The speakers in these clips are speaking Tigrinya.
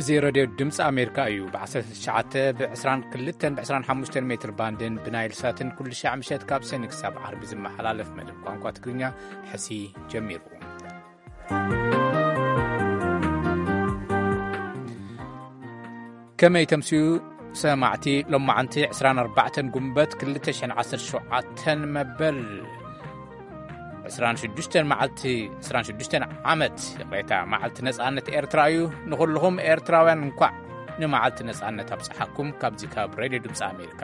እዚ ሬድዮ ድምፂ ኣሜሪካ እዩ። ብ19፣ ብ22፣ ብ25 ሜትር ባንድን ብናይል ሳትን ኩሉ ሻዕ ምሸት ካብ ሰኒ ክሳብ ዓርቢ ዝመሓላለፍ መደብ ቋንቋ ትግርኛ ሕሲ ጀሚሩ። ከመይ ተምስዩ ሰማዕቲ? ሎማዓንቲ 24 ጉንበት 2017 መበል 26 መዓልቲ፣ 26 ዓመት፣ ይቕሬታ፣ መዓልቲ ነጻነት ኤርትራ እዩ። ንኹልኹም ኤርትራውያን እንኳዕ ንመዓልቲ ነጻነት ኣብጽሓኩም። ካብዚ ካብ ሬድዮ ድምፂ ኣሜሪካ።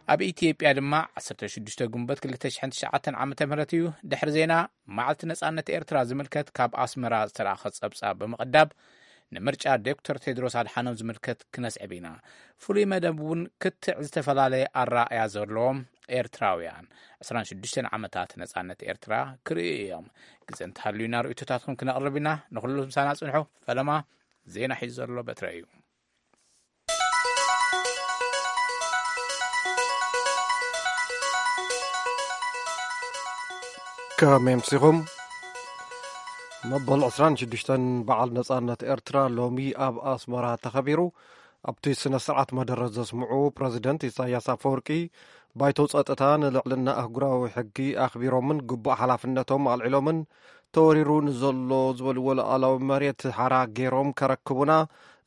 ኣብ ኢትዮጵያ ድማ 16 ጉንበት 2009 ዓ.ም እዩ። ድሕሪ ዜና፣ መዓልቲ ነጻነት ኤርትራ ዝምልከት ካብ ኣስመራ ዝተላእኸ ጸብጻብ ብምቕዳብ፣ ንምርጫ ዶክተር ቴድሮስ ኣድሓኖም ዝምልከት ክነስዕብ ኢና። ፍሉይ መደብ እውን ክትዕ ዝተፈላለየ ኣረኣእያ ዘለዎም ኤርትራውያን 26 ዓመታት ነጻነት ኤርትራ ክርእዩ እዮም። ግዘ እንተሃልዩና ርእይቶታትኩም ክነቕርብ ኢና። ንኹሉ ምሳና ጽንሑ። ፈለማ ዜና ሒዙ ዘሎ በትረ እዩ። ከመይ ኣምሲኹም? መበል 26 በዓል ነጻነት ኤርትራ ሎሚ ኣብ ኣስመራ ተኸቢሩ። ኣብቲ ስነ ስርዓት መደረ ዘስምዑ ፕረዚደንት ኢሳያስ ኣፈወርቂ፣ ባይቶ ጸጥታ ንልዕልና ኣህጉራዊ ሕጊ ኣኽቢሮምን ግቡእ ሓላፍነቶም ኣልዒሎምን፣ ተወሪሩ ንዘሎ ዝበልዎ ሉዓላዊ መሬት ሓራ ገይሮም ከረክቡና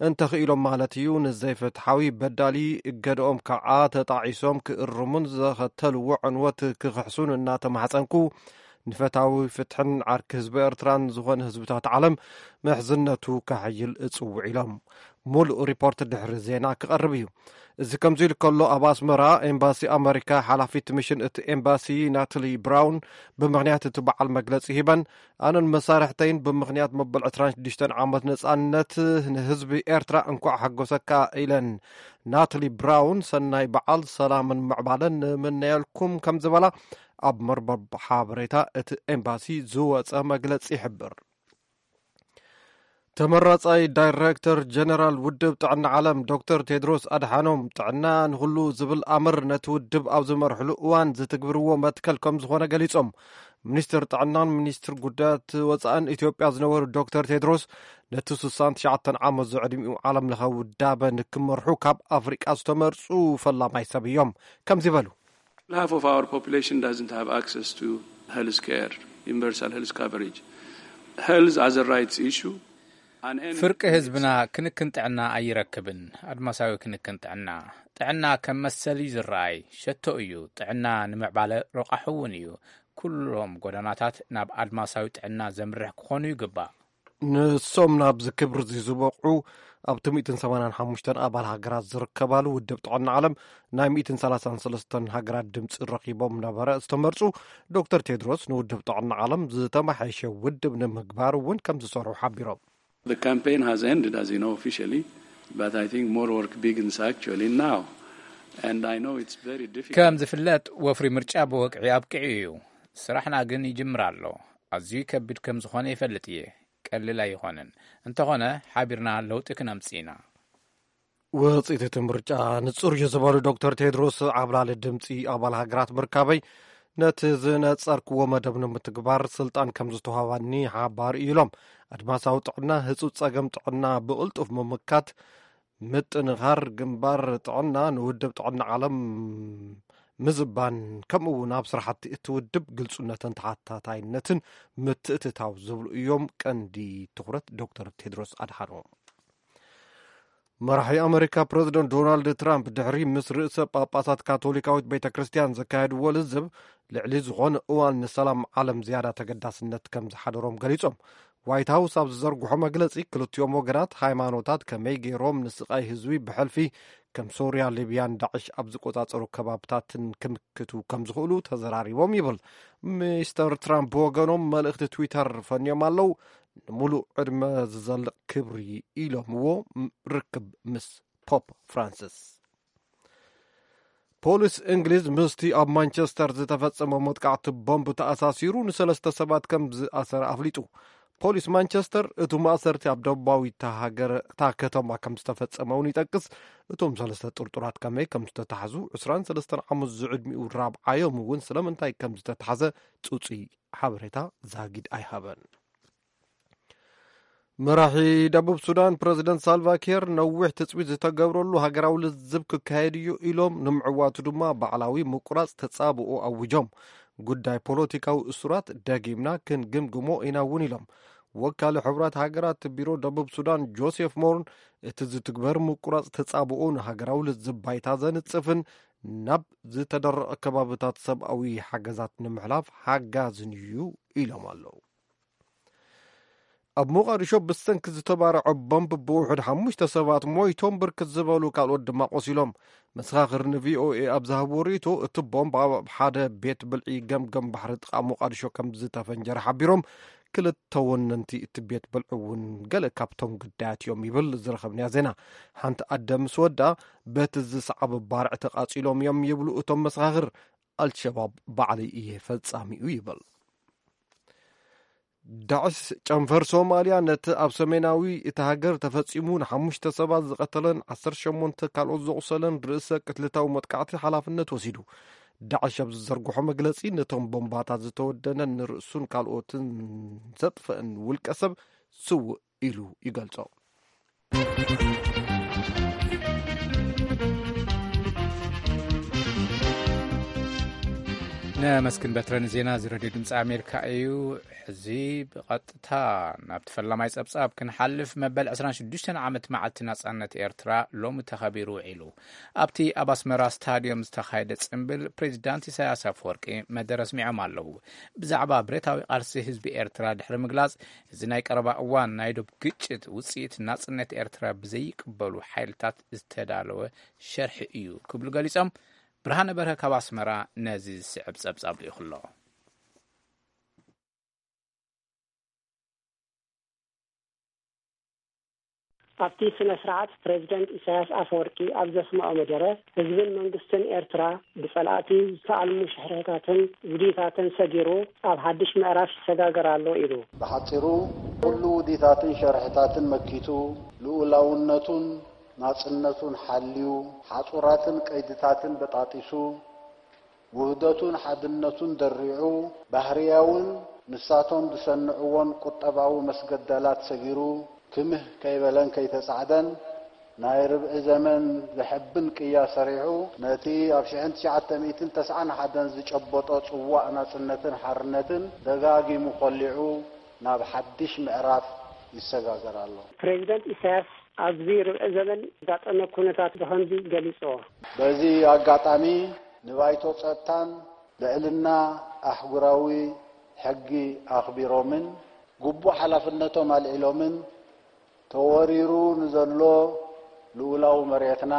እንተኽኢሎም ማለት እዩ፣ ንዘይፍትሓዊ በዳሊ እገድኦም ከዓ ተጣዒሶም ክእርሙን ዘኸተልዎ ዕንወት ክኽሕሱን እናተማሕጸንኩ፣ ንፈታዊ ፍትሕን ዓርኪ ህዝቢ ኤርትራን ዝኾነ ህዝብታት ዓለም ምሕዝነቱ ከሕይል እጽውዕ ኢሎም። ሙሉእ ሪፖርት ድሕሪ ዜና ክቐርብ እዩ። እዚ ከምዚ ኢሉ ከሎ፣ ኣብ ኣስመራ ኤምባሲ ኣመሪካ ሓላፊት ሚሽን እቲ ኤምባሲ ናትሊ ብራውን ብምኽንያት እቲ በዓል መግለጺ ሂበን፣ ኣነን መሳርሕተይን ብምኽንያት መበል 26 ዓመት ነጻነት ንህዝቢ ኤርትራ እንኳዕ ሓጎሰካ ኢለን። ናትሊ ብራውን ሰናይ በዓል ሰላምን ምዕባለን ንምነየልኩም ከም ዝበላ ኣብ መርበብ ሓበሬታ እቲ ኤምባሲ ዝወጸ መግለጺ ይሕብር። ተመራጻይ ዳይሬክተር ጀነራል ውድብ ጥዕና ዓለም ዶክተር ቴድሮስ ኣድሓኖም፣ ጥዕና ንኹሉ ዝብል ኣምር ነቲ ውድብ ኣብ ዝመርሕሉ እዋን ዝትግብርዎ መትከል ከም ዝኾነ ገሊጾም። ሚኒስትር ጥዕናን ሚኒስትር ጉዳያት ወጻእን ኢትዮጵያ ዝነበሩ ዶክተር ቴድሮስ፣ ነቲ 69 ዓመት ዝዕድሚኡ ዓለም ለኸ ውዳበ ንክመርሑ ካብ ኣፍሪቃ ዝተመርጹ ፈላማይ ሰብ እዮም። ከምዚ በሉ። Half of our population doesn't have access to health care, universal health coverage. Health as a rights issue. An end ፍርቂ ህዝብና ክንክን ጥዕና ኣይረክብን። ኣድማሳዊ ክንክን ጥዕና፣ ጥዕና ከም መሰል እዩ ዝረኣይ። ሸቶ እዩ። ጥዕና ንምዕባለ ረቋሒ እውን እዩ። ኩሎም ጎደናታት ናብ ኣድማሳዊ ጥዕና ዘምርሕ ክኾኑ ይግባእ። ንሶም ናብዚ ክብሪ እዚ ዝበቕዑ፣ ኣብቲ 185 ኣባል ሃገራት ዝርከባሉ ውድብ ጥዕና ዓለም ናይ 133 ሃገራት ድምፂ ረኺቦም ነበረ ዝተመርፁ ዶክተር ቴድሮስ፣ ንውድብ ጥዕና ዓለም ዝተመሓየሸ ውድብ ንምግባር እውን ከም ዝሰርሑ ሓቢሮም። The campaign has ended, as you know, officially, but I think more work begins actually now. And I know it's very difficult. ከም ዝፍለጥ፣ ወፍሪ ምርጫ ብወግዒ ኣብቂዑ እዩ። ስራሕና ግን ይጅምር ኣሎ። ኣዝዩ ከቢድ ከም ዝኾነ ይፈልጥ እየ። ቀሊል ኣይኾነን። እንተኾነ፣ ሓቢርና ለውጢ ክነምጽእ ኢና። ውፅኢት እቲ ምርጫ ንጹር እዩ ዝበሉ ዶክተር ቴድሮስ፣ ዓብላሊ ድምፂ ኣባል ሃገራት ምርካበይ ነቲ ዝነጸርክዎ መደብ ንምትግባር ስልጣን ከም ዝተዋህባኒ ሓባር እዩ ኢሎም። ኣድማሳዊ ጥዕና፣ ህጹጽ ጸገም ጥዕና ብቕልጡፍ ምምካት፣ ምጥንኻር ግንባር ጥዕና ንውድብ ጥዕና ዓለም ምዝባን፣ ከምኡ እውን ኣብ ስራሕቲ እቲ ውድብ ግልጹነትን ተሓታታይነትን ምትእትታው ዝብሉ እዮም ቀንዲ ትኹረት ዶክተር ቴድሮስ ኣድሓኖም። መራሒ ኣመሪካ ፕረዚደንት ዶናልድ ትራምፕ ድሕሪ ምስ ርእሰ ጳጳሳት ካቶሊካዊት ቤተ ክርስቲያን ዘካየድዎ ልዝብ፣ ልዕሊ ዝኾነ እዋን ንሰላም ዓለም ዝያዳ ተገዳስነት ከም ዝሓደሮም ገሊጾም። ዋይት ሃውስ ኣብ ዝዘርግሖ መግለጺ፣ ክልቲኦም ወገናት ሃይማኖታት ከመይ ገይሮም ንስቓይ ህዝቢ ብሕልፊ ከም ሶርያ፣ ሊብያን ዳዕሽ ኣብ ዝቆጻጸሩ ከባብታትን ክምክቱ ከም ዝኽእሉ ተዘራሪቦም ይብል። ሚስተር ትራምፕ ብወገኖም መልእኽቲ ትዊተር ፈንዮም ኣለዉ። ንምሉእ ዕድመ ዝዘልቕ ክብሪ ኢሎምዎ ርክብ ምስ ፖፕ ፍራንሲስ። ፖሊስ እንግሊዝ ምስቲ ኣብ ማንቸስተር ዝተፈጸመ መጥቃዕቲ ቦምብ ተኣሳሲሩ ንሰለስተ ሰባት ከም ዝኣሰረ ኣፍሊጡ። ፖሊስ ማንቸስተር፣ እቲ ማእሰርቲ ኣብ ደቡባዊት እታ ሃገር፣ እታ ከተማ ከም ዝተፈጸመ እውን ይጠቅስ። እቶም ሰለስተ ጥርጡራት ከመይ ከም ዝተታሕዙ፣ 23 ዓመት ዝዕድሚኡ ራብዓዮም እውን ስለምንታይ ከም ዝተታሕዘ ጽጹይ ሓበሬታ ዛጊድ ኣይሃበን። መራሒ ደቡብ ሱዳን ፕረዚደንት ሳልቫ ኪር ነዊሕ ትጽቢት ዝተገብረሉ ሃገራዊ ልዝብ ክካየድ እዩ ኢሎም፣ ንምዕዋቱ ድማ ባዕላዊ ምቁራጽ ተጻብኦ ኣዊጆም። ጉዳይ ፖለቲካዊ እሱራት ደጊምና ክንግምግሞ ኢና እውን ኢሎም። ወካሊ ሕቡራት ሃገራት ቢሮ ደቡብ ሱዳን ጆሴፍ ሞርን፣ እቲ ዝትግበር ምቁራጽ ተጻብኦ ንሃገራዊ ልዝብ ባይታ ዘንጽፍን ናብ ዝተደረቐ ከባብታት ሰብኣዊ ሓገዛት ንምሕላፍ ሓጋዝን እዩ ኢሎም ኣለዉ። ኣብ ሞቓዲሾ ብሰንኪ ዝተባረዐ ቦምብ ብውሑድ ሓሙሽተ ሰባት ሞይቶም፣ ብርክት ዝበሉ ካልኦት ድማ ቆሲሎም። መሰኻኽር ንቪኦኤ ኣብ ዝሃብዎ ርእይቶ፣ እቲ ቦምብ ኣብ ሓደ ቤት ብልዒ ገምገም ባሕሪ ጥቓ ሞቓዲሾ ከም ዝተፈንጀረ ሓቢሮም። ክልተ ወነንቲ እቲ ቤት ብልዒ እውን ገለ ካብቶም ግዳያት እዮም ይብል ዝረኸብናዮ ዜና። ሓንቲ ኣደ ምስ ወዳ በቲ ዝሰዓበ ባርዕ ተቓጺሎም እዮም ይብሉ እቶም መሰኻኽር። ኣልሸባብ ባዕለይ እየ ፈጻሚኡ ይብል። ዳዕሽ ጨንፈር ሶማልያ ነቲ ኣብ ሰሜናዊ እቲ ሃገር ተፈጺሙ ንሓሙሽተ ሰባት ዝቐተለን ዓሰርተ ሸሞንተ ካልኦት ዘቑሰለን ርእሰ ቅትልታዊ መጥቃዕቲ ሓላፍነት ወሲዱ። ዳዕሽ ኣብ ዝዘርግሖ መግለጺ፣ ነቶም ቦምባታት ዝተወደነን ንርእሱን ካልኦትን ዘጥፈእን ውልቀ ሰብ ስውእ ኢሉ ይገልጾ። ነመስግን በትረ ንዜና እዚ ሬድዮ ድምፂ ኣሜሪካ እዩ። ሕዚ ብቐጥታ ናብቲ ፈላማይ ጸብጻብ ክንሓልፍ። መበል ዕስራን ሽዱሽተን ዓመት መዓልቲ ናጻነት ኤርትራ ሎሚ ተኸቢሩ ውዒሉ። ኣብቲ ኣብ ኣስመራ ስታድዮም ዝተኻየደ ጽምብል ፕሬዚዳንት ኢሳያስ ኣፈወርቂ መደረ ኣስሚዖም ኣለዉ። ብዛዕባ ብረታዊ ቃልሲ ህዝቢ ኤርትራ ድሕሪ ምግላጽ፣ እዚ ናይ ቀረባ እዋን ናይ ዶብ ግጭት ውጽኢት ናጽነት ኤርትራ ብዘይቅበሉ ሓይልታት ዝተዳለወ ሸርሒ እዩ ክብሉ ገሊጾም። ብርሃነ በርሀ ካብ ኣስመራ ነዚ ዝስዕብ ጸብጻብ ልኢኹ ኣሎ። ኣብቲ ስነ ስርዓት ፕሬዚደንት ኢሳያስ ኣፈወርቂ ኣብ ዘስምዖ መደረ፣ ህዝብን መንግስትን ኤርትራ ብጸላእቲ ዝተኣልሙ ሽሕርሕታትን ውዲታትን ሰጊሩ ኣብ ሓድሽ ምዕራፍ ይሰጋገር ኣሎ ኢሉ። ብሓጺሩ፣ ኩሉ ውዲታትን ሸርሕታትን መኪቱ፣ ልኡላውነቱን ናጽነቱን ሓልዩ፣ ሓጹራትን ቀይድታትን በጣጢሱ፣ ውህደቱን ሓድነቱን ደሪዑ፣ ባህርያውን ንሳቶም ዝሰንዕዎን ቁጠባዊ መስገደላት ሰጊሩ፣ ክምህ ከይበለን ከይተጻዕደን፣ ናይ ርብዒ ዘመን ዘሐብን ቅያ ሰሪሑ፣ ነቲ ኣብ ሽሕን ትሽዓተ ሚእትን ተስዓን ሓደን ዝጨበጦ ጽዋእ ናጽነትን ሓርነትን ደጋጊሙ ኮሊዑ፣ ናብ ሓድሽ ምዕራፍ ይሰጋገር ኣሎ። ፕሬዚደንት ኢሳያስ ኣብዚ ርብዒ ዘመን ዘጋጠመ ኩነታት ብኸምዚ ገሊጽዎ። በዚ ኣጋጣሚ፣ ንባይቶ ጸጥታን ልዕልና ኣህጉራዊ ሕጊ ኣኽቢሮምን ግቡእ ሓላፍነቶም ኣልዒሎምን፣ ተወሪሩ ንዘሎ ልኡላዊ መሬትና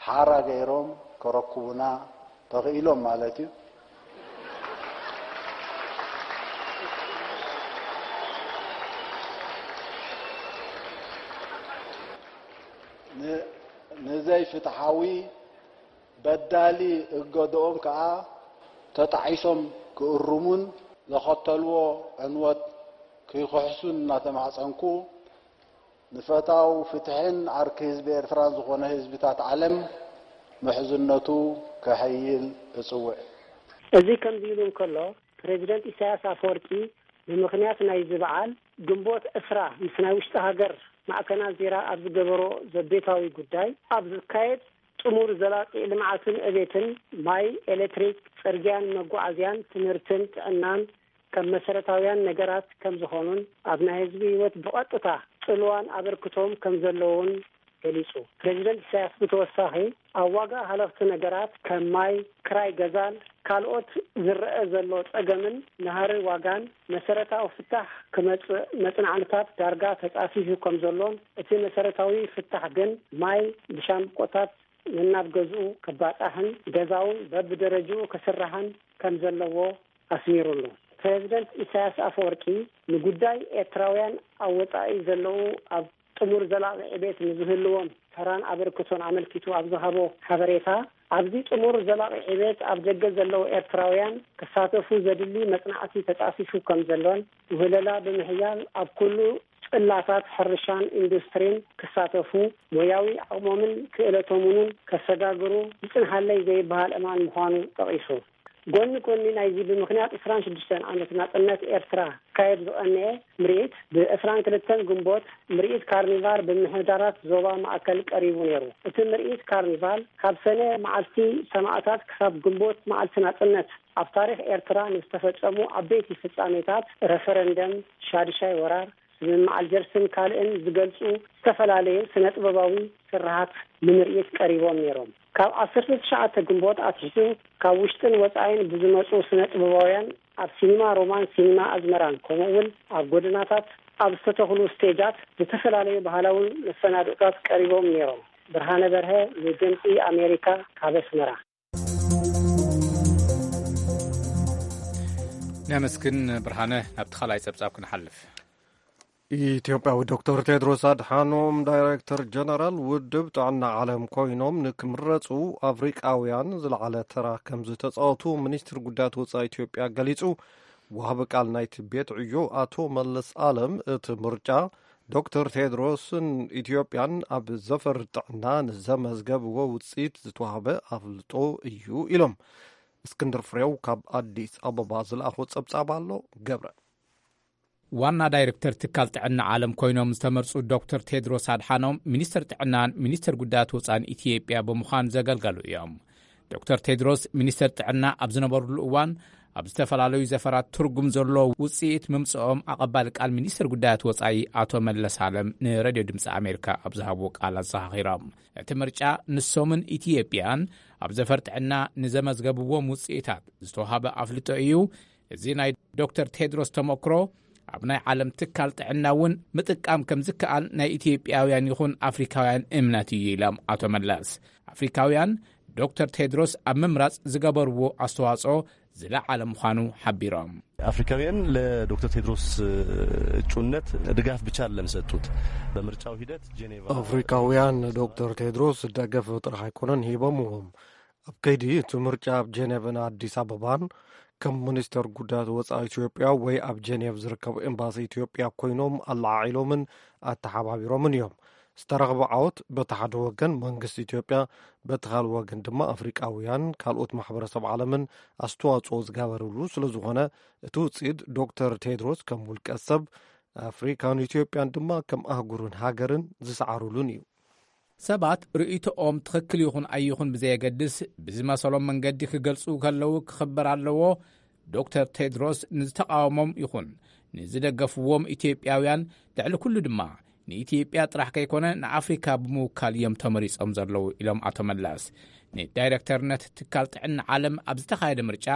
ሓራ ገይሮም ከረክቡና ተኽኢሎም ማለት እዩ። ን-፣ ንዘይፍትሓዊ በዳሊ እገድኦም ከኣ ተጣዒሶም ክእርሙን ዘኸተልዎ ዕንወት ክይክሕሱን እናተማሕጸንኩ፣ ንፈታው ፍትሕን ዓርኪ ህዝቢ ኤርትራን ዝኾነ ህዝብታት ዓለም ምሕዝነቱ ከሐይል እጽውዕ። እዚ ከምዚ ኢሉ እንከሎ፣ ፕሬዚደንት ኢሳያስ ኣፈወርቂ ብምኽንያት ናይዚ በዓል፣ ግንቦት ዕስራ ምስ ናይ ውሽጢ ሃገር ማዕከናት ዜራ ኣብ ዝገበሮ ዘቤታዊ ጉዳይ፣ ኣብ ዝካየድ ጥሙር ዘላቂ ልምዓትን ዕቤትን፣ ማይ፣ ኤሌክትሪክ፣ ጽርግያን መጓዓዝያን፣ ትምህርትን ጥዕናን ከም መሰረታውያን ነገራት ከም ዝኾኑን፣ ኣብ ናይ ህዝቢ ህይወት ብቐጥታ ጽልዋን ኣበርክቶን ከም ዘለዎን ገሊጹ። ፕሬዚደንት ኢሳያስ ብተወሳኺ፣ ኣብ ዋጋ ሃለኽቲ ነገራት ከም ማይ፣ ክራይ ገዛን ካልኦት ዝረአ ዘሎ ጸገምን ናህሪ ዋጋን መሰረታዊ ፍታሕ ክመጽእ መጽናዕትታት ዳርጋ ተጻፊፉ ከም ዘሎን፣ እቲ መሰረታዊ ፍታሕ ግን ማይ ብሻምብቆታት ነናብ ገዝኡ ክባጻሕን ገዛውን በብደረጅኡ ክስራሕን ከም ዘለዎ ኣስሚሩሉ። ፕሬዚደንት ኢሳያስ ኣፈወርቂ፣ ንጉዳይ ኤርትራውያን ኣብ ወጻኢ ዘለዉ ኣብ ጥሙር ዘላቂ ዕቤት ንዝህልዎም ተራን ኣበርክቶን ኣመልኪቱ ኣብ ዝሃቦ ሓበሬታ፣ ኣብዚ ጥሙር ዘላቂ ዕቤት ኣብ ደገ ዘለዉ ኤርትራውያን ክሳተፉ ዘድሊ መጽናዕቲ ተጻፊፉ ከም ዘሎን፣ ውህለላ ብምሕያል ኣብ ኩሉ ጽላታት ሕርሻን ኢንዱስትሪን ክሳተፉ፣ ሞያዊ ዓቕሞምን ክእለቶምንን ከሰጋግሩ ዝጽንሓለይ ዘይበሃል እማን ምዃኑ ጠቒሱ። ጎኒ ጎኒ ናይዚ፣ ብምኽንያት ዕስራን ሽዱሽተን ዓመት ናጽነት ኤርትራ ክካየድ ዝቐነየ ምርኢት፣ ብ ዕስራን ክልተን ግንቦት ምርኢት ካርኒቫል ብምሕዳራት ዞባ ማእከል ቀሪቡ ነይሩ። እቲ ምርኢት ካርኒቫል፣ ካብ ሰነ መዓልቲ ሰማእታት ክሳብ ግንቦት መዓልቲ ናጽነት፣ ኣብ ታሪኽ ኤርትራ ንዝተፈጸሙ ዓበይቲ ፍጻሜታት፣ ረፈረንደም፣ ሻድሻይ ወራር፣ ስምምዕ ኣልጀርስን ካልእን ዝገልጹ ዝተፈላለዩ ስነ-ጥበባዊ ስርሓት ንምርኢት ቀሪቦም ነይሮም። ካብ ዓሰርተ ትሽዓተ ግንቦት ኣትሒዙ፣ ካብ ውሽጥን ወጻኢን ብዝመጹ ስነ-ጥበባውያን፣ ኣብ ሲኒማ ሮማን፣ ሲኒማ ኣዝመራን፣ ከምኡ እውን ኣብ ጎደናታት ኣብ ዝተተኽሉ ስቴጃት፣ ዝተፈላለዩ ባህላዊ መሰናድኦታት ቀሪቦም ነይሮም። ብርሃነ በርሀ፣ ንድምጺ ኣሜሪካ፣ ካብ ኣስመራ። ነመስግን ብርሃነ። ናብቲ ካልኣይ ጸብጻብ ክንሓልፍ። ኢትዮጵያዊ ዶክተር ቴድሮስ ኣድሓኖም ዳይሬክተር ጀነራል ውድብ ጥዕና ዓለም ኮይኖም ንክምረፁ ኣፍሪቃውያን ዝለዓለ ተራ ከም ዝተፃወቱ ሚኒስትር ጉዳያት ወፃኢ ኢትዮጵያ ገሊፁ። ዋህቢ ቃል ናይቲ ቤት ዕዮ ኣቶ መለስ ኣለም እቲ ምርጫ ዶክተር ቴድሮስን ኢትዮጵያን ኣብ ዘፈር ጥዕና ንዘመዝገብዎ ውፅኢት ዝተዋህበ ኣፍልጦ እዩ ኢሎም። እስክንድር ፍሬው ካብ ኣዲስ ኣበባ ዝለኣኾ ጸብጻብ ኣሎ። ገብረ ዋና ዳይሬክተር ትካል ጥዕና ዓለም ኮይኖም ዝተመርጹ ዶክተር ቴድሮስ ኣድሓኖም ሚኒስትር ጥዕናን ሚኒስትር ጉዳያት ወጻን ኢትዮጵያ ብምዃን ዘገልገሉ እዮም። ዶክተር ቴድሮስ ሚኒስትር ጥዕና ኣብ ዝነበሩሉ እዋን ኣብ ዝተፈላለዩ ዘፈራት ትርጉም ዘለዎ ውጽኢት ምምጽኦም ኣቐባሊ ቃል ሚኒስትር ጉዳያት ወጻኢ ኣቶ መለስ ኣለም ንሬድዮ ድምፂ ኣሜሪካ ኣብ ዝሃብዎ ቃል ኣዘኻኺሮም። እቲ ምርጫ ንሶምን ኢትዮጵያን ኣብ ዘፈር ጥዕና ንዘመዝገብዎም ውጽኢታት ዝተዋሃበ ኣፍልጦ እዩ። እዚ ናይ ዶክተር ቴድሮስ ተመክሮ ኣብ ናይ ዓለም ትካል ጥዕና እውን ምጥቃም ከም ዝከኣል ናይ ኢትዮጵያውያን ይኹን ኣፍሪካውያን እምነት እዩ ኢሎም ኣቶ መለስ። ኣፍሪካውያን ዶክተር ቴድሮስ ኣብ ምምራፅ ዝገበርዎ ኣስተዋፅኦ ዝለዓለ ምዃኑ ሓቢሮም። አፍሪካውያን ለዶክተር ቴድሮስ እጩነት ድጋፍ ብቻ አይደለም ሰጡት። በምርጫው ሂደት ጄኔቫ አፍሪካውያን ዶክተር ቴድሮስ ደገፍ ጥራሕ ኣይኮነን ሂቦምዎም። ኣብ ከይዲ እቲ ምርጫ ኣብ ጄኔቭን ኣዲስ ኣበባን ከም ሚኒስተር ጉዳያት ወፃኢ ኢትዮጵያ ወይ ኣብ ጄኔቭ ዝርከቡ ኤምባሲ ኢትዮጵያ ኮይኖም ኣለዓዒሎምን ኣተሓባቢሮምን እዮም። ዝተረኽበ ዓወት በቲ ሓደ ወገን መንግስቲ ኢትዮጵያ፣ በቲ ካልእ ወገን ድማ ኣፍሪቃውያን ካልኦት ማሕበረሰብ ዓለምን ኣስተዋፅኦ ዝገበርሉ ስለዝኾነ እቲ ውፅኢት ዶክተር ቴድሮስ ከም ውልቀ ሰብ ኣፍሪካን ኢትዮጵያን ድማ ከም ኣህጉርን ሃገርን ዝሰዓሩሉን እዩ። ሰባት ርእይቶኦም ትኽክል ይኹን ኣይኹን ብዘየገድስ ብዝመሰሎም መንገዲ ክገልጹ ከለዉ ክኽበር ኣለዎ። ዶክተር ቴድሮስ ንዝተቓወሞም ይኹን ንዝደገፍዎም ኢትዮጵያውያን ልዕሊ ኩሉ ድማ ንኢትዮጵያ ጥራሕ ከይኮነ ንኣፍሪካ ብምውካል እዮም ተመሪጾም ዘለዉ ኢሎም ኣቶ መለስ። ንዳይሬክተርነት ትካል ጥዕና ዓለም ኣብ ዝተኻየደ ምርጫ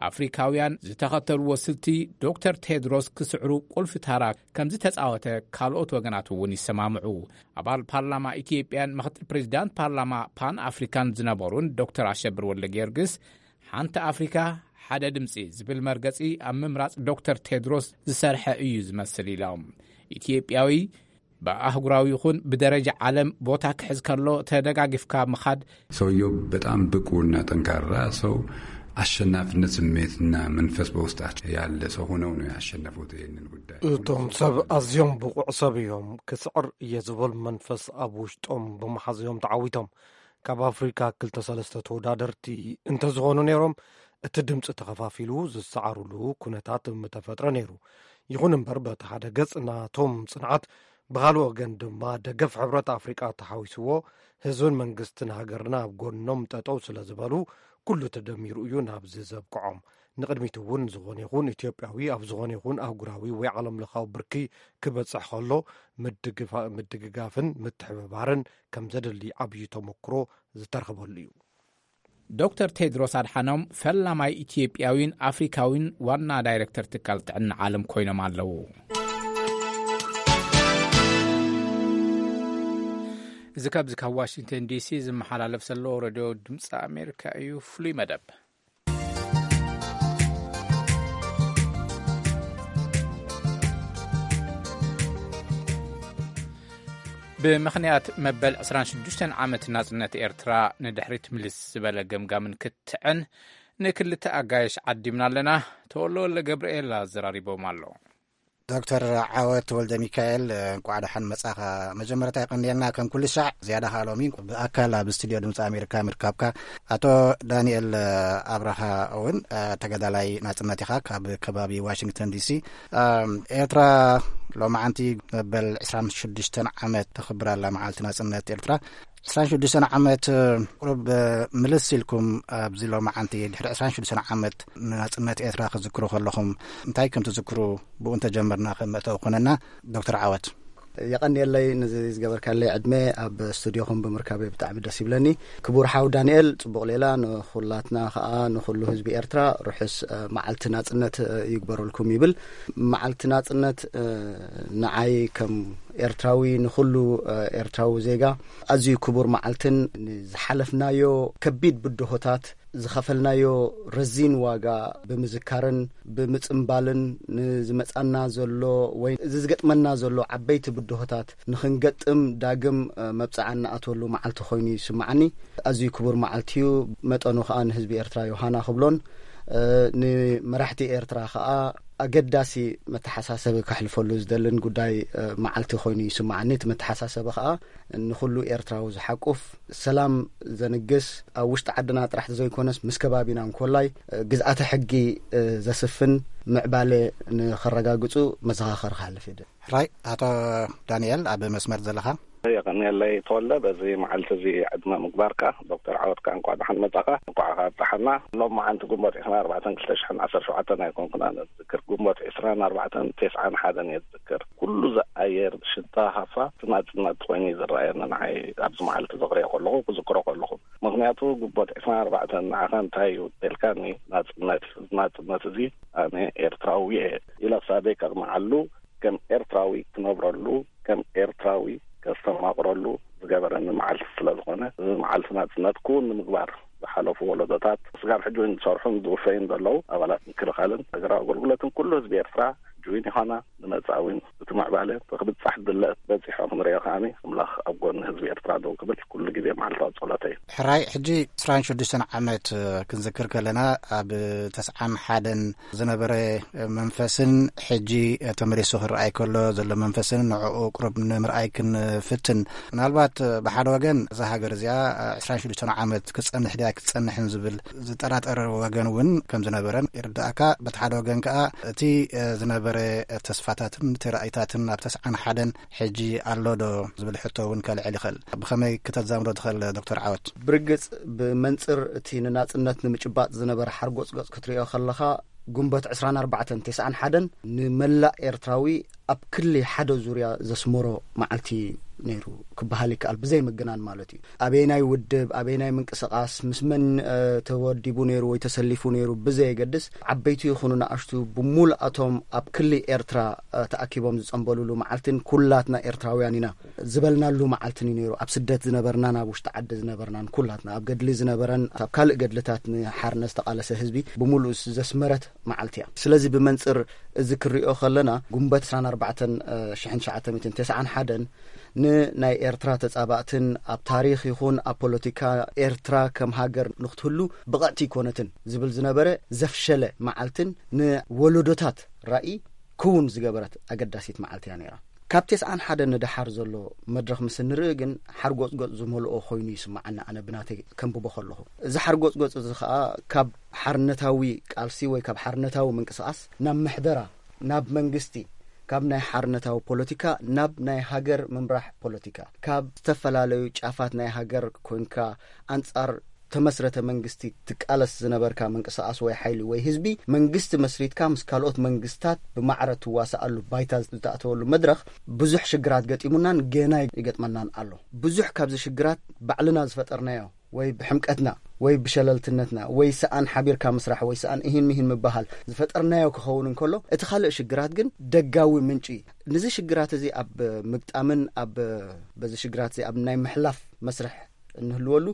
ኣፍሪካውያን ዝተኸተልዎ ስልቲ ዶክተር ቴድሮስ ክስዕሩ ቁልፊ ታራ ከም ዝተፃወተ ካልኦት ወገናት እውን ይሰማምዑ። ኣባል ፓርላማ ኢትዮጵያን ምክትል ፕሬዚዳንት ፓርላማ ፓን ኣፍሪካን ዝነበሩን ዶክተር ኣሸብር ወልደ ጊዮርጊስ ሓንቲ ኣፍሪካ ሓደ ድምፂ ዝብል መርገፂ ኣብ ምምራፅ ዶክተር ቴድሮስ ዝሰርሐ እዩ ዝመስል ኢሎም። ኢትዮጵያዊ ብኣህጉራዊ ይኹን ብደረጃ ዓለም ቦታ ክሕዝ ከሎ ተደጋጊፍካ ምኻድ። ሰውየው በጣም ብቁና ጠንካራ ሰው፣ አሸናፊነት ስሜትና መንፈስ በውስጣቸው ያለ ሰው ሆነው ነው ያሸነፉት ይህንን ጉዳይ። እቶም ሰብ ኣዝዮም ብቑዕ ሰብ እዮም። ክስዕር እየ ዝብል መንፈስ ኣብ ውሽጦም ብምሓዝ እዮም ተዓዊቶም። ካብ ኣፍሪካ ክልተ ሰለስተ ተወዳደርቲ እንተዝኾኑ ነይሮም እቲ ድምፂ ተኸፋፊሉ ዝሰዓሩሉ ኩነታት ምተፈጥረ ነይሩ። ይኹን እምበር በቲ ሓደ ገፅ ናቶም ፅንዓት ብኻልእ ወገን ድማ ደገፍ ሕብረት ኣፍሪቃ ተሓዊስዎ ህዝብን መንግስትን ሃገርና ኣብ ጎኖም ጠጠው ስለ ዝበሉ ኩሉ ተደሚሩ እዩ ናብዚ ዘብቅዖም። ንቕድሚት እውን ዝኾነ ይኹን ኢትዮጵያዊ ኣብ ዝኾነ ይኹን ኣህጉራዊ ወይ ዓለም ለኻዊ ብርኪ ክበፅሕ ከሎ ምድግጋፍን ምትሕብባርን ከም ዘድሊ ዓብዪ ተመክሮ ዝተረኽበሉ እዩ። ዶክተር ቴድሮስ ኣድሓኖም ፈላማይ ኢትዮጵያዊን ኣፍሪካዊን ዋና ዳይረክተር ትካል ጥዕና ዓለም ኮይኖም ኣለዉ። እዚ ካብዚ ካብ ዋሽንግተን ዲሲ ዝመሓላለፍ ዘሎ ረድዮ ድምፂ ኣሜሪካ እዩ። ፍሉይ መደብ ብምኽንያት መበል ዕስራን ሽዱሽተን ዓመት ናጽነት ኤርትራ ንድሕሪት ምልስ ዝበለ ገምጋምን ክትዕን ንክልተ ኣጋይሽ ዓዲምና ኣለና። ተወልደ ወልደ ገብርኤል ኣዘራሪቦም ኣሎ። ዶክተር ዓወት ወልደ ሚካኤል፣ እንቋዕ ደሓን መጻኻ። መጀመርታ የቐንየልና ከም ኩሉ ሻዕ፣ ዝያዳ ከኣ ሎሚ ብኣካል ኣብ ስቱድዮ ድምፂ ኣሜሪካ ምርካብካ። ኣቶ ዳንኤል ኣብርሃ እውን ተጋዳላይ ናጽነት ኢኻ፣ ካብ ከባቢ ዋሽንግተን ዲሲ። ኤርትራ ሎማዓንቲ መበል ዕስራን ሽዱሽተን ዓመት ተኽብር ኣላ፣ መዓልቲ ናጽነት ኤርትራ። ዕስራን ሽዱሽተን ዓመት ቁሩብ ምልስ ኢልኩም ኣብዚ ሎማዓንቲ ድሕሪ ዕስራን ሽዱሽተን ዓመት ንናጽነት ኤርትራ ክትዝክሩ ከለኹም እንታይ ከም ትዝክሩ፣ ብኡ እንተጀመርና ከም መእተዊ ኮነና። ዶክተር ዓወት። የቐንየለይ፣ ነዚ ዝገበርካለይ ዕድመ ኣብ ስቱድዮኹም ብምርካበይ ብጣዕሚ ደስ ይብለኒ። ክቡር ሓው ዳንኤል፣ ጽቡቕ ሌላ። ንኹላትና ከኣ ንኹሉ ህዝቢ ኤርትራ ርሑስ መዓልቲ ናጽነት ይግበረልኩም ይብል። መዓልቲ ናጽነት ንዓይ ከም ኤርትራዊ፣ ንኹሉ ኤርትራዊ ዜጋ ኣዝዩ ክቡር መዓልትን፣ ንዝሓለፍናዮ ከቢድ ብድሆታት ዝኸፈልናዮ ረዚን ዋጋ ብምዝካርን ብምጽምባልን፣ ንዝመጻና ዘሎ ወይ እዚ ዝገጥመና ዘሎ ዓበይቲ ብድሆታት ንኽንገጥም ዳግም መብጽዓ እንኣትወሉ መዓልቲ ኮይኑ ይስምዓኒ። ኣዝዩ ክቡር መዓልቲ እዩ። መጠኑ ከኣ ንህዝቢ ኤርትራ ዮሃና ክብሎን ንመራሕቲ ኤርትራ ከኣ ኣገዳሲ መተሓሳሰቢ ከሕልፈሉ ዝደልን ጉዳይ መዓልቲ ኮይኑ ይስምዓኒ። እቲ መተሓሳሰቢ ከኣ ንኹሉ ኤርትራዊ ዝሓቁፍ፣ ሰላም ዘንግስ፣ ኣብ ውሽጢ ዓድና ጥራሕ ዘይኮነስ ምስ ከባቢና እንኮላይ ግዝኣተ ሕጊ ዘስፍን ምዕባለ ንኸረጋግጹ መዘኻኸሪ ክሓልፍ ይደ። ሕራይ ኣቶ ዳንኤል ኣብ መስመር ዘለኻ። የቐንየለይ ተወልደ፣ በዚ መዓልቲ እዚ ዕድመ ምግባርካ። ዶክተር ዓወት ከኣ እንኳዕ ደሓን መጻኻ፣ እንኳዕ ከኣ ኣብጽሓና። ሎም መዓልቲ ግንቦት ዕስራን ኣርባዕተን ክልተ ሽሕን ዓሰርተ ሸውዓተን ኣይኮንኩን ኣነ ዝዝክር፣ ግንቦት ዕስራን ኣርባዕተን ተስዓን ሓደን እየ ዝዝክር። ኩሉ ዝኣየር ሽታ ሃፋ እቲ ናጽነት ኮይኑ እዩ ዝረኣየኒ ንዓይ ኣብዚ መዓልቲ ዘኽርዮ ከለኹ፣ ክዝክሮ ከለኹ። ምኽንያቱ ግንቦት ዕስራን ኣርባዕተን ንዓኻ እንታይ እዩ ተልካኒ፣ ናጽነት እዩ። እዚ ናጽነት እዚ ኣነ ኤርትራዊ እየ ኢለ ክሳበይ ከቕንዓሉ፣ ከም ኤርትራዊ ክነብረሉ፣ ከም ኤርትራዊ ከስተማቕረሉ ዝገበረኒ መዓልቲ ስለ ዝኾነ፣ እዚ መዓልቲ ናጽነት ክውን ንምግባር ዝሓለፉ ወለዶታት ስጋብ ሕጂ እውን ዝሰርሑን ዝውፈዩን ዘለዉ ኣባላት ምክልኻልን ሃገራዊ ኣገልግሎትን ኩሉ ህዝቢ ኤርትራ ሕጂ እውን ይኾና ንመጻእ እውን እቲ ምዕባለ ብክብጻሕ ድለ በጺሖ ክንሪኦ ከኣኒ ኣምላኽ ኣብ ጎኒ ህዝቢ ኤርትራ ደው ክብል ኩሉ ግዜ መዓልታዊ ጸሎተይ እዩ። ሕራይ፣ ሕጂ ዕስራን ሽዱሽተን ዓመት ክንዝክር ከለና፣ ኣብ ተስዓን ሓደን ዝነበረ መንፈስን ሕጂ ተመሊሱ ክረኣይ ከሎ ዘሎ መንፈስን ንዕኡ ቁሩብ ንምርኣይ ክንፍትን። ምናልባት ብሓደ ወገን እዛ ሃገር እዚኣ ዕስራን ሽዱሽተን ዓመት ክትጸንሕ ድያ ክትጸንሕን ዝብል ዝጠራጠር ወገን እውን ከም ዝነበረን ይርዳእካ። በቲ ሓደ ወገን ከኣ እቲ ዝነበረ ተስፋታትን እቲ ራእይታትን ኣብ ተስዓን ሓደን ሕጂ ኣሎ ዶ ዝብል ሕቶ እውን ከልዕል ይኽእል። ብኸመይ ክተዛምዶ ትኽእል ዶክተር ዓወት? ብርግጽ ብመንጽር እቲ ንናጽነት ንምጭባጥ ዝነበረ ሓርጎጽጎጽ ክትሪኦ ከለኻ፣ ግንቦት ዕስራን ኣርባዕተን ተስዓን ሓደን ንመላእ ኤርትራዊ ኣብ ክሊ ሓደ ዙርያ ዘስመሮ መዓልቲ ነይሩ ክበሃል ይከኣል፣ ብዘይ ምግናን ማለት እዩ። ኣበየናይ ውድብ፣ ኣበየናይ ምንቅስቓስ፣ ምስ መን ተወዲቡ ነይሩ ወይ ተሰሊፉ ነይሩ ብዘየገድስ፣ ዓበይቲ ይኹኑ ንኣሽቱ፣ ብሙሉኣቶም ኣብ ክሊ ኤርትራ ተኣኪቦም ዝጸንበሉሉ መዓልትን ኩላትና ኤርትራውያን ኢና ዝበልናሉ መዓልትን እዩ ነይሩ። ኣብ ስደት ዝነበርናን ኣብ ውሽጢ ዓዲ ዝነበርናን ኩላትና፣ ኣብ ገድሊ ዝነበረን ኣብ ካልእ ገድልታት ንሓርነት ዝተቓለሰ ህዝቢ ብምሉእ ዘስመረት መዓልቲ እያ። ስለዚ ብመንጽር እዚ ክሪኦ ከለና፣ ግንቦት ዕስራን ኣርባዕተን ሽሕን ትሽዓተ ሚእትን ተስዓን ሓደን ንናይ ኤርትራ ተጻባእትን ኣብ ታሪኽ ይኹን ኣብ ፖለቲካ ኤርትራ ከም ሃገር ንክትህሉ ብቕዕቲ ኣይኮነትን ዝብል ዝነበረ ዘፍሸለ መዓልትን ንወለዶታት ራኢ ክውን ዝገበረት ኣገዳሲት መዓልቲ እያ ነይራ። ካብ ተስዓን ሓደን ንደሓር ዘሎ መድረኽ ምስ እንርኢ ግን ሓርጎጽጎጽ ዝመልኦ ኮይኑ ይስምዓኒ፣ ኣነ ብናተይ ከንብቦ ከለኹ። እዚ ሓርጎጽጎጽ እዚ ኸኣ ካብ ሓርነታዊ ቃልሲ ወይ ካብ ሓርነታዊ ምንቅስቓስ ናብ ምሕደራ፣ ናብ መንግስቲ፣ ካብ ናይ ሓርነታዊ ፖለቲካ ናብ ናይ ሃገር ምምራሕ ፖለቲካ፣ ካብ ዝተፈላለዩ ጫፋት ናይ ሃገር ኮንካ ኣንጻር ተመስረተ መንግስቲ ትቃለስ ዝነበርካ ምንቅስቓስ ወይ ሓይሊ ወይ ህዝቢ፣ መንግስቲ መስሪትካ ምስ ካልኦት መንግስታት ብማዕረ ትዋሳኣሉ ባይታ ዝተኣተወሉ መድረኽ ብዙሕ ሽግራት ገጢሙናን ገና ይገጥመናን ኣሎ። ብዙሕ ካብዚ ሽግራት ባዕልና ዝፈጠርናዮ ወይ ብሕምቀትና ወይ ብሸለልትነትና ወይ ሰኣን ሓቢርካ ምስራሕ ወይ ሰኣን እሂን ምሂን ምበሃል ዝፈጠርናዮ ክኸውን እንከሎ፣ እቲ ካልእ ሽግራት ግን ደጋዊ ምንጪ እዩ። ነዚ ሽግራት እዚ ኣብ ምግጣምን ኣብ በዚ ሽግራት እዚ ኣብ ናይ ምሕላፍ መስርሕ እንህልወሉ፣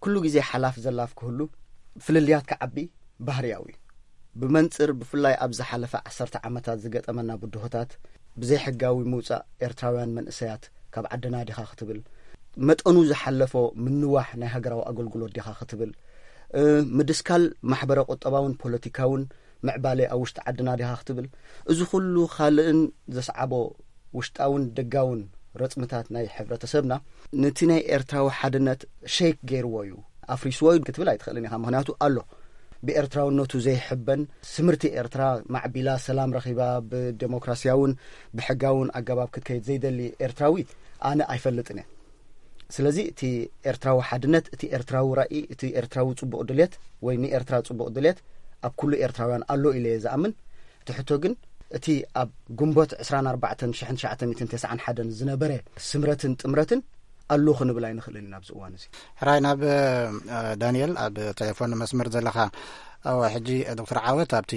ኩሉ ግዜ ሓላፍ ዘላፍ ክህሉ፣ ፍልልያት ክዓቢ ባህርያዊ እዩ። ብመንጽር ብፍላይ ኣብ ዝሓለፈ ዓሰርተ ዓመታት ዝገጠመና ብድሆታት፣ ብዘይሕጋዊ ምውጻእ ኤርትራውያን መንእሰያት ካብ ዓድና ዲኻ ክትብል፣ መጠኑ ዝሓለፎ ምንዋሕ ናይ ሃገራዊ ኣገልግሎት ዲኻ ክትብል፣ እ፣ ምድስካል ማሕበረ ቁጠባውን ፖለቲካውን ምዕባለ ኣብ ውሽጢ ዓድና ዲኻ ክትብል፣ እዚ ኩሉ ካልእን ዘስዓቦ ውሽጣውን ደጋውን ረጽምታት ናይ ሕብረተሰብና፣ ነቲ ናይ ኤርትራዊ ሓድነት ሸይክ ገይርዎ እዩ፣ ኣፍሪስዎ እዩ ክትብል ኣይትኽእልን ኢኻ። ምኽንያቱ ኣሎ፣ ብኤርትራውነቱ ዘይሕበን፣ ስምርቲ ኤርትራ ማዕቢላ፣ ሰላም ረኺባ፣ ብደሞክራሲያውን ብሕጋውን ኣገባብ ክትከይድ ዘይደሊ ኤርትራዊ ኣነ ኣይፈልጥን እየ። ስለዚ እቲ ኤርትራዊ ሓድነት፣ እቲ ኤርትራዊ ራኢ፣ እቲ ኤርትራዊ ጽቡቕ ድሌት ወይ ንኤርትራ ጽቡቕ ድሌት ኣብ ኩሉ ኤርትራውያን ኣሎ ኢለ እየ ዝኣምን። እቲ ሕቶ ግን፣ እቲ ኣብ ግንቦት ዕስራን ኣርባዕተን ሽሕን ትሽዓተ ሚእትን ተስዓን ሓደን ዝነበረ ስምረትን ጥምረትን ኣሎ ክንብል ኣይንኽእልን ኢና ኣብዚ እዋን እዚ። ሕራይ ናብ፣ እ፣ ዳንኤል ኣብ ቴሌፎን መስመር ዘለኻ። እወ፣ ሕጂ ዶክተር ዓወት ኣብቲ፣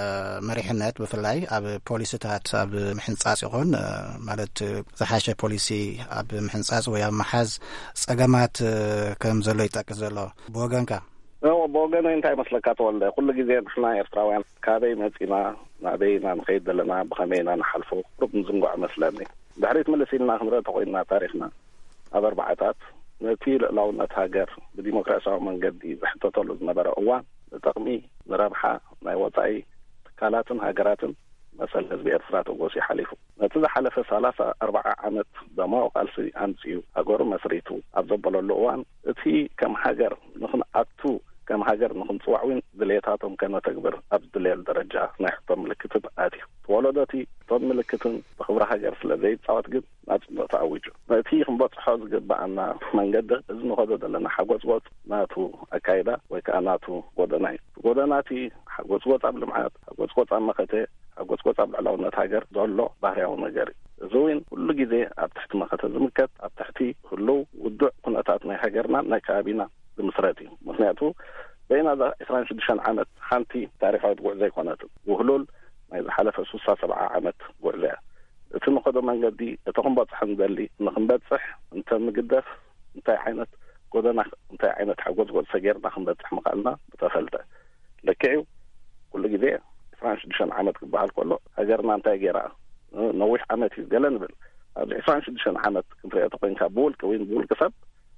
እ፣ መሪሕነት ብፍላይ ኣብ ፖሊሲታት ኣብ ምሕንጻጽ ይኹን፣ እ፣ ማለት ዝሓሸ ፖሊሲ ኣብ ምሕንጻጽ ወይ ኣብ ምሓዝ ጸገማት፣ እ፣ ከም ዘሎ ይጠቅስ ዘሎ። ብወገንካ? እወ፣ ብወገነይ እንታይ ይመስለካ ተወልደ፣ ኩሉ ግዜ ንሕና ኤርትራውያን ካበይ መጺና፣ ናበይ ኢና ንኸይድ ዘለና፣ ብኸመይ ኢና ንሓልፎ ቁሩብ ንዝንግዖ መስለኒ። ድሕሪት ምልስ ኢልና ክንርኢ ተኾይንና ታሪኽና፣ ኣብ ኣርባዓታት ነቲ ልዕላውነት ሃገር ብዲሞክራሲያዊ መንገዲ ዝሕተተሉ ዝነበረ እዋን፣ ንጥቕሚ፣ ንረብሓ ናይ ወጻኢ ትካላትን ሃገራትን መሰል ህዝቢ ኤርትራ ተጎስዩ ሓሊፉ። ነቲ ዝሓለፈ ሰላሳ ኣርባዓ ዓመት ደማዊ ቃልሲ ኣምጺኡ ሃገሩ መስሪቱ ኣብ ዘበለሉ እዋን፣ እቲ ከም ሃገር ንኽንኣቱ፣ ከም ሃገር ንኽንጽዋዕ እውን ድሌታቶም ከነተግብር ኣብ ዝድለየሉ ደረጃ ናይ ሕቶ ምልክትን ኣትዩ። እቲ ወለዶ እቲ ሕቶን ምልክትን ብኽብሪ ሃገር ስለ ዘይጻወት ግን ናጽነቱ ኣዊጁ። ነቲ ክንበጽሖ ዝግብኣና መንገዲ፣ እዚ ንኸዶ ዘለና ሓጎጽጎጽ ናቱ ኣካይዳ ወይ ከኣ ናቱ ጎደና እዩ። ጎደና እቲ ሓጎጽጎጽ ኣብ ልምዓት፣ ሓጎጽጎጽ ኣብ መኸተ፣ ሓጎጽጎጽ ኣብ ልዕላውነት ሃገር ዘሎ ባህርያዊ ነገር እዩ። እዚ እውን ኩሉ ግዜ ኣብ ትሕቲ መኸተ ዝምከት፣ ኣብ ትሕቲ ህሉው ውዱዕ ኩነታት ናይ ሃገርናን ናይ ከባቢና ዝምስረት እዩ። ምኽንያቱ በይና እዛ ዕስራን ሽዱሽተን ዓመት ሓንቲ ታሪኻዊት ጉዕዞ ኣይኮነትን። ውህሉል ናይ ዝሓለፈ ስሳ ሰብዓ ዓመት ጉዕዞ እያ። እቲ ንኸዶ መንገዲ፣ እቲ ክንበጽሖ ንደሊ፣ ንኽንበጽሕ እንተ ምግደፍ፣ እንታይ ዓይነት ጎደና፣ እንታይ ዓይነት ሓጎጽጎጽ ሰጊርና ክንበጽሕ ምኽኣልና ምተፈልጠ። ልክዕ እዩ፣ ኩሉ ግዜ ዕስራን ሽዱሽተን ዓመት ክበሃል ከሎ፣ ሃገርና እንታይ ገይራ? ነዊሕ ዓመት እዩ ገለ ንብል። ኣብዚ ዕስራን ሽዱሽተን ዓመት ክንሪኦ ተኾይንካ፣ ብውልቂ ወይ ብውልቂ ሰብ፣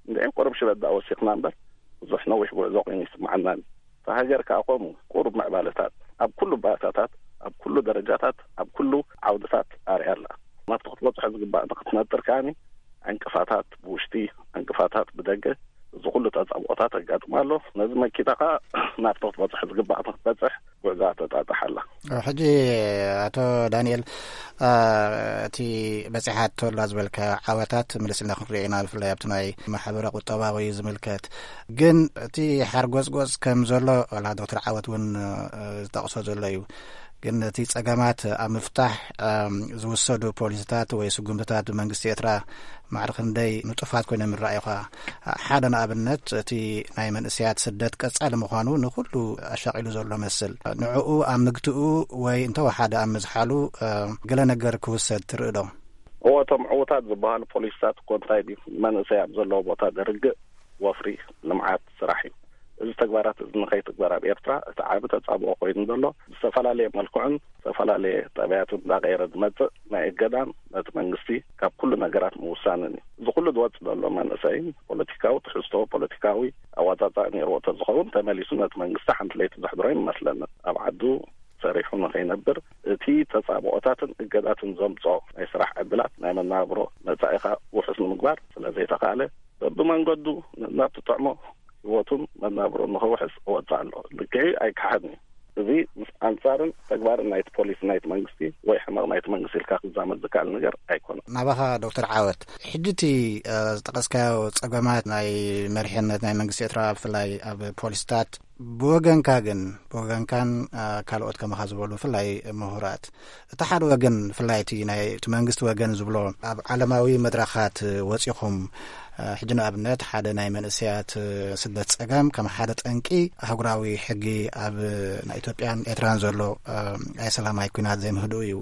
እንድዒ ቁሩብ ሽበት ደኣ ወሲኽና እምበር፣ ብዙሕ ነዊሕ ጉዕዞ ኮይኑ ይስምዓናን። እታ ሃገር ከኣ ከምኡ ቁሩብ ምዕባለታት ኣብ ኩሉ ባእታታት፣ ኣብ ኩሉ ደረጃታት፣ ኣብ ኩሉ ዓውድታት ኣርያ ኣላ። ናብቲ ክትበጽሖ ዝግባእ ንክትነጥር ከኣ ዕንቅፋታት ብውሽጢ፣ ዕንቅፋታት ብደገ፣ እዚ ኩሉ ተጻብኦታት ኣጋጥማ ኣሎ። ነዚ መኪታ ከኣ ናብቲ ክትበጽሖ ዝግባእ ንክትበጽሕ ጉዕዛ ተጣጥሕ ኣላ። ሕጂ ኣቶ ዳንኤል፣ እ፣ እቲ በጺሓቶ ኣላ ዝበልካ ዓወታት ምልስ ኢልና ክንሪኦ ኢና፣ ብፍላይ ኣብቲ ናይ ማሕበረ ቁጠባዊ ዝምልከት። ግን እቲ ሓርጎጽጎጽ ከም ዘሎ፣ ዋላ ዶክተር ዓወት እውን፣ እ፣ ዝጠቕሶ ዘሎ እዩ። ግን እቲ ጸገማት ኣብ ምፍታሕ፣ እም፣ ዝውሰዱ ፖሊሲታት ወይ ስጉምትታት ብመንግስቲ ኤርትራ ማዕረ ክንደይ ንጡፋት ኮይኖም ይረኣዩኻ? ሓደ ንኣብነት፣ እቲ ናይ መንእሰያት ስደት ቀጻሊ ምዃኑ ንኹሉ ኣሻቒሉ ዘሎ መስል። ንዕኡ ኣብ ምግትኡ ወይ እንተወሓደ ኣብ ምዝሓሉ፣ እ፣ ገለ ነገር ክውሰድ ትርኢ ዶ? እዎ፣ እቶም ዕዉታት ዝበሃሉ ፖሊሲታት እኮ እንታይ ድዩ? መንእሰይ ኣብ ዘለዎ ቦታ ደርግእ፣ ወፍሪ፣ ልምዓት፣ ስራሕ እዩ። እዚ ተግባራት እዚ ንኸይትግበር ኣብ ኤርትራ እቲ ዓቢ ተጻብኦ ኮይኑ ዘሎ ብዝተፈላለየ መልክዑን ዝተፈላለየ ጠባያትን እንዳቐየረ ዝመጽእ ናይ እገዳን ነቲ መንግስቲ ካብ ኩሉ ነገራት ምውሳንን እዩ። እዚ ኩሉ ዝወጽእ ዘሎ መንእሰይ ፖለቲካዊ ትሕዝቶ፣ ፖለቲካዊ ኣዋጻጻእ ነይርዎ ተዝኸውን ተመሊሱ ነቲ መንግስቲ ሓንቲ ለይቲ ዘሕድሮ ይመስለኒ። ኣብ ዓዱ ሰሪሑ ንኸይነብር እቲ ተጻብኦታትን እገዳትን ዘምጽኦ ናይ ስራሕ ዕድላት ናይ መነባብሮ መጻኢኻ ውሑስ ንምግባር ስለ ዘይተኻእለ በብመንገዱ ናብ ትጥዕሞ ህይወቱን መናብሮን ንኸውሕስ እወጽእ ኣሎ። ልክዕ ኣይከሓድን እዩ። እዚ ምስ ኣንጻርን ተግባርን ናይቲ ፖሊሲ ናይቲ መንግስቲ ወይ ሕመቕ ናይቲ መንግስቲ ኢልካ ክዛመድ ዝከኣል ነገር ኣይኮነን። ናባኻ ዶክተር ዓወት፣ ሕጂ እቲ፣ እ፣ ዝጠቐስካዮ ጸገማት ናይ መሪሕነት ናይ መንግስቲ ኤርትራ ብፍላይ ኣብ ፖሊስታት ብወገንካ ግን፣ ብወገንካን፣ እ፣ ካልኦት ከማኻ ዝበሉ ብፍላይ ምሁራት፣ እቲ ሓደ ወገን ብፍላይ እቲ ናይ እቲ መንግስቲ ወገን ዝብሎ ኣብ ዓለማዊ መድረኻት ወጺኹም፣ እ፣ ሕጂ ንኣብነት ሓደ ናይ መንእሰያት፣ እ፣ ስደት ጸገም ከም ሓደ ጠንቂ ኣህጉራዊ ሕጊ ኣብ ናይ ኢትዮጵያን ኤርትራን ዘሎ፣ እ፣ ናይ ሰላማዊ ኲናት ዘይምህድኡ እዩ።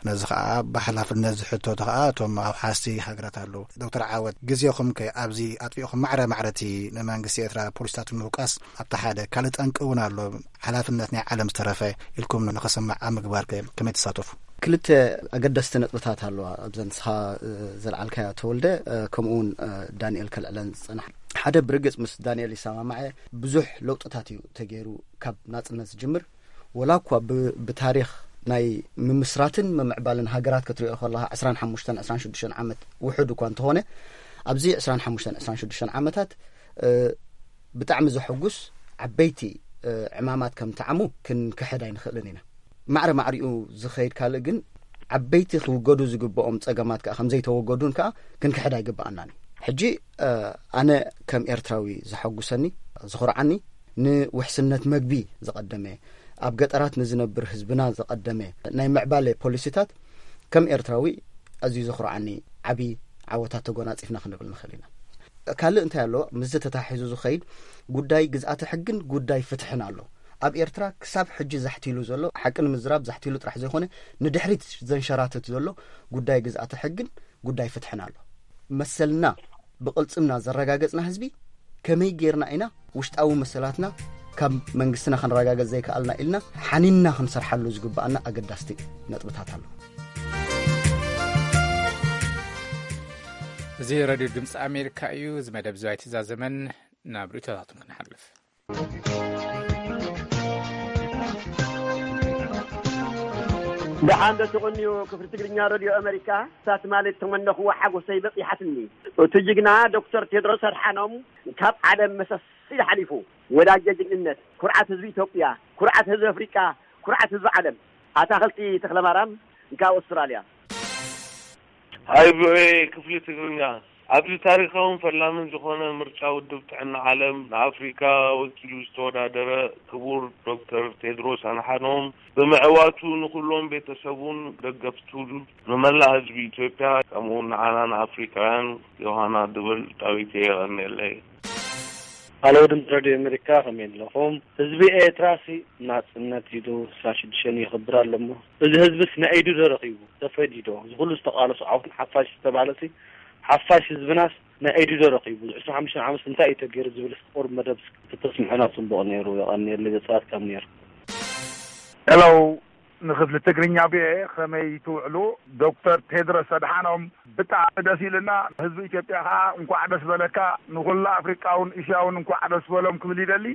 ነዚ ኸኣ ብሓላፍነት ዝሕተቱ ኸኣ እቶም ኣውሓስቲ ሃገራት ኣለዉ። ዶክተር ዓወት፣ ግዜኹም ከ ኣብዚ ኣጥፊእኹም ማዕረ ማዕረ እቲ ንመንግስቲ ኤርትራ ፖሊስታት ንምውቃስ ኣብቲ ሓደ ካልእ ጠንቂ እውን ኣሎ። ሓላፍነት ናይ ዓለም ዝተረፈ ኢልኩም ንኽስማዕ ኣብ ምግባር ከ ከመይ ትሳተፉ? ክልተ ኣገደስቲ ነጥብታት ኣለዋ ኣብዘ ንስኻ፣ እ፣ ዘልዓልካዮ ተወልደ፣ እ፣ ከምኡ እውን፣ እ፣ ዳንኤል ከልዕለን ዝጸናሕ። ሓደ ብርግጽ ምስ ዳንኤል ይሰማማዐ፣ ብዙሕ ለውጥታት እዩ ተገይሩ ካብ ናጽነት ዝጅምር። ወላ እኳ ብ- ብታሪኽ ናይ ምምስራትን ምምዕባልን ሃገራት ክትሪኦ ከለኻ ዕስራን ሓሙሽተን ዕስራን ሽዱሽተን ዓመት ውሑድ እኳ እንተኾነ፣ ኣብዚ ዕስራን ሓሙሽተን ዕስራን ሽዱሽተን ዓመታት ብጣዕሚ ዘሐጉስ ዓበይቲ ዕማማት ከም ተዓሙ ክንክሕድ ኣይንኽእልን ኢና። ማዕረ ማዕሪኡ ዝኸይድ ካልእ ግን፣ ዓበይቲ ክውገዱ ዝግብኦም ጸገማት ከዓ ከም ዘይተወገዱን ከዓ ክንክሕድ ኣይግብኣናን እዩ። ሕጂ ኣነ ከም ኤርትራዊ ዘሐጉሰኒ፣ ዝኹርዓኒ፣ ንውሕስነት መግቢ ዝቐደመ፣ ኣብ ገጠራት ንዝነብር ህዝብና ዝቐደመ ናይ ምዕባለ ፖሊሲታት ከም ኤርትራዊ ኣዝዩ ዘኹርዓኒ ዓቢ ዓወታት ተጎናጺፍና ክንብል ንኽእል ኢና። ካልእ እንታይ ኣሎ? ምስዚ ተታሒዙ ዝኸይድ ጉዳይ ግዝኣተ ሕግን ጉዳይ ፍትሕን ኣሎ። ኣብ ኤርትራ ክሳብ ሕጂ ዛሕቲሉ ዘሎ፣ ሓቂ ንምዝራብ ዛሕቲሉ ጥራሕ ዘይኮነ፣ ንድሕሪት ዘንሸራትት ዘሎ ጉዳይ ግዝኣተ ሕግን ጉዳይ ፍትሕን ኣሎ። መሰልና ብቕልጽምና ዘረጋገጽና ህዝቢ፣ ከመይ ጌርና ኢና ውሽጣዊ መሰላትና ካብ መንግስትና ክንረጋገጽ ዘይከኣልና ኢልና ሓኒንና ክንሰርሓሉ ዝግብኣና ኣገዳስቲ ነጥብታት ኣሎ። እዚ ረድዮ ድምፂ ኣሜሪካ እዩ። እዚ መደብ ዝዋይ ትዛዘመን ናብ ርእቶታቱን ክንሓልፍ። ደሓን ዶ ትቕንዩ? ክፍሊ ትግርኛ ረድዮ ኣመሪካ ሳት ማለት ተመነኽዎ ሓጎሰይ በፂሓትኒ። እቲ ጅግና ዶክተር ቴድሮስ ኣድሓኖም ካብ ዓለም መሰስ ኢሉ ሓሊፉ። ወዳጀ ጅግንነት፣ ኩርዓት ህዝቢ ኢትዮጵያ፣ ኩርዓት ህዝቢ ኣፍሪቃ፣ ኩርዓት ህዝቢ ዓለም። ኣታኽልቲ ተኽለማርያም ካብ ኣውስትራልያ። ሃይ ቪኦኤ ክፍሊ ትግርኛ፣ ኣብዚ ታሪኻውን ፈላምን ዝኾነ ምርጫ ውድብ ጥዕና ዓለም ንኣፍሪካ ወኪሉ ዝተወዳደረ ክቡር ዶክተር ቴድሮስ ኣድሓኖም ብምዕዋቱ ንኹሎም ቤተሰቡን ደገፍቱን ንመላእ ህዝቢ ኢትዮጵያ ከምኡውን ንዓና ንኣፍሪካውያን ዮሃና ድብል ዳዊት የቐንየለይ። ሃሎ ድምፂ ረድዮ ኣሜሪካ ከመይ ኣለኹም? ህዝቢ ኤርትራሲ ናፅነት ኢሉ ዕስራን ሽዱሽተን የኽብር ኣሎ እሞ እዚ ህዝብስ ናይ ኢዱ ዶ ረኺቡ? ተፈዲዩ ዶ? እዚ ኩሉ ዝተቓለሶ ዓወት ንሓፋሽ ዝተባህለሲ ሓፋሽ ህዝብናስ ናይ ኢዱ ዶ ረኺቡ? እዚ ዕስራን ሓሙሽተን ዓመትስ እንታይ እዩ ተገይሩ ዝብልስ ቁሩብ መደብ ተተስምዑና ፅቡቕ ነይሩ። የቐንየለይ ዘፅዋትካም ነይሩ። ሄሎ ንክፍሊ ትግርኛ ቪኦኤ ከመይ ትውዕሉ? ዶክተር ቴድሮስ ኣድሓኖም ብጣዕሚ ደስ ኢልና። ህዝቢ ኢትዮጵያ ከዓ እንኳዕ ደስ በለካ፣ ንኩላ ኣፍሪቃውን እስያውን እንኳዕ ደስ በሎም ክብል ይደሊ።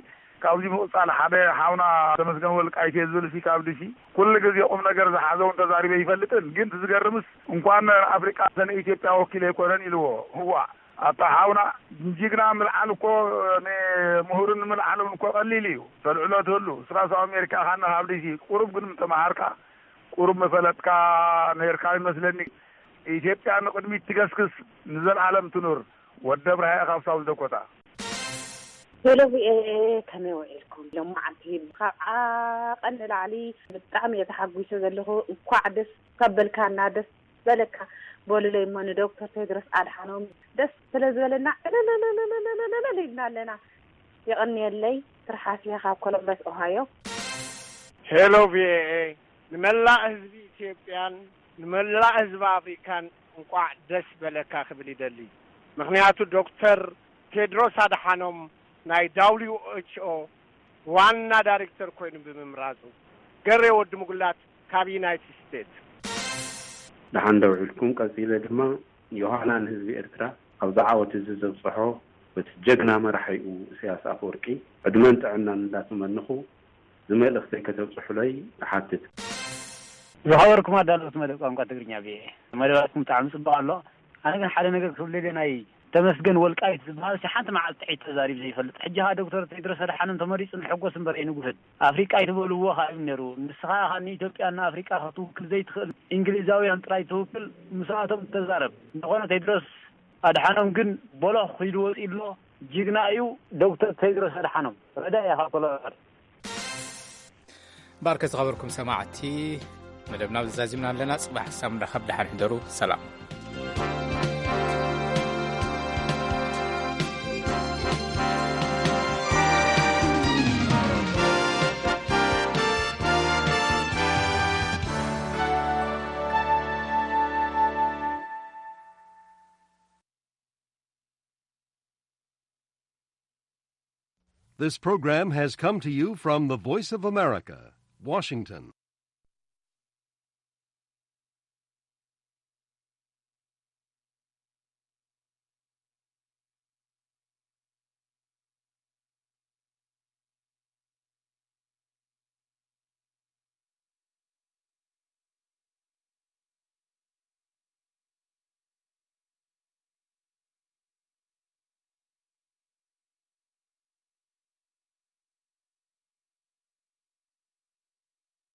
ካብዚ ምቕፃል ሓደ ሓውና ተመስገን ወልቃይት እየ ዝብል ሲ ካብ ድሲ ኩሉ ግዜ ቁም ነገር ዝሓዘውን ተዛሪበ ይፈልጥን፣ ግን እቲ ዝገርምስ እንኳን ኣፍሪቃ ንኢትዮጵያ ወኪለ ኣይኮነን ኢልዎ። ህዋ ኣታ ሓውና ጅግና ምልዓል እኮ ንምሁርን ምልዓል እውን እኮ ቀሊል እዩ። ተልዕሎ ትህሉ እስራ ሳብ ኣሜሪካ ካና ካብ ድሲ ቁሩብ ግን ምተመሃርካ ቁሩብ መፈለጥካ ነርካ ይመስለኒ። ኢትዮጵያ ንቕድሚት ትገስግስ ንዘልኣለም ትኑር። ወደ ብርሃ ካብ ሳውዝ ደኮታ። ሄሎ ቪኦኤ ከመይ ውዒልኩም? ሎማዓንቲ ካብ ዓቐን ንላዕሊ ብጣዕሚ እየ ተሓጒሰ ዘለኹ። እንኳዕ ደስ ካብ በልካና ደስ በለካ በሉለይ እሞ ንዶክተር ቴድሮስ ኣድሓኖም ደስ ስለ ዝበለና ዕልልልልልልልል ኢልና ኣለና። የቐንየለይ። ትርሓስየ ካብ ኮሎምበስ ኦሃዮ። ሄሎ ቪኦኤ ንመላእ ህዝቢ ኢትዮጵያን ንመላእ ህዝቢ ኣፍሪካን እንቋዕ ደስ በለካ ክብል ይደሊ። ምኽንያቱ ዶክተር ቴድሮስ ኣድሓኖም ናይ ዳብሊው ኤች ኦ ዋና ዳይሬክተር ኮይኑ ብምምራጹ። ገሬ ወዲ ምጉላት ካብ ዩናይትድ ስቴትስ። ደሓን ደውዒልኩም። ቀጺለ ድማ ዮሃና ንህዝቢ ኤርትራ ኣብዚ ዓወት እዚ ዘብጽሖ በቲ ጀግና መራሒኡ ኢሳያስ ኣፈወርቂ ዕድመን ጥዕናን እንዳተመነኹ ዝመልእኽተይ ከተብጽሑለይ እሓትት። ዝኸበርኩም ኣዳለውቲ መደብ ቋንቋ ትግርኛ ቪኦኤ መደባትኩም ብጣዕሚ ጽቡቕ ኣሎ። ኣነ ግን ሓደ ነገር ክብል ደልየ ናይ ተመስገን ወልቃይት ዝበሃል ሲ ሓንቲ መዓልቲ ጥሒት ተዛሪብ ዘይፈልጥ ሕጂ ኸኣ ዶክተር ቴድሮስ ኣድሓኖም ተመሪጹ ንሕጎስ እምበር ኣይንጉህድ ኣፍሪቃ ኣይትበልዎ ኸኣ እዩ ነይሩ ንስኻ ኸኣ ንኢትዮጵያ እና ኣፍሪቃ ክትውክል ዘይትኽእል እንግሊዛውያን ጥራይ ትውክል ምስኣቶም ተዛረብ እንተኾነ ቴድሮስ ኣድሓኖም ግን ቦሎኽ ኺዱ ወጺኡ ኣሎ ጅግና እዩ ዶክተር ቴድሮስ ኣድሓኖም ረዳኢ ኢኻ ኮሎነል ባርከ ዝኸበርኩም ሰማዕቲ መደብና ብዛዚምና ኣለና። ጽባሕ ሳምዳ ካብ ደሓን ሕደሩ። ሰላም። This program has come to you from the Voice of America, Washington.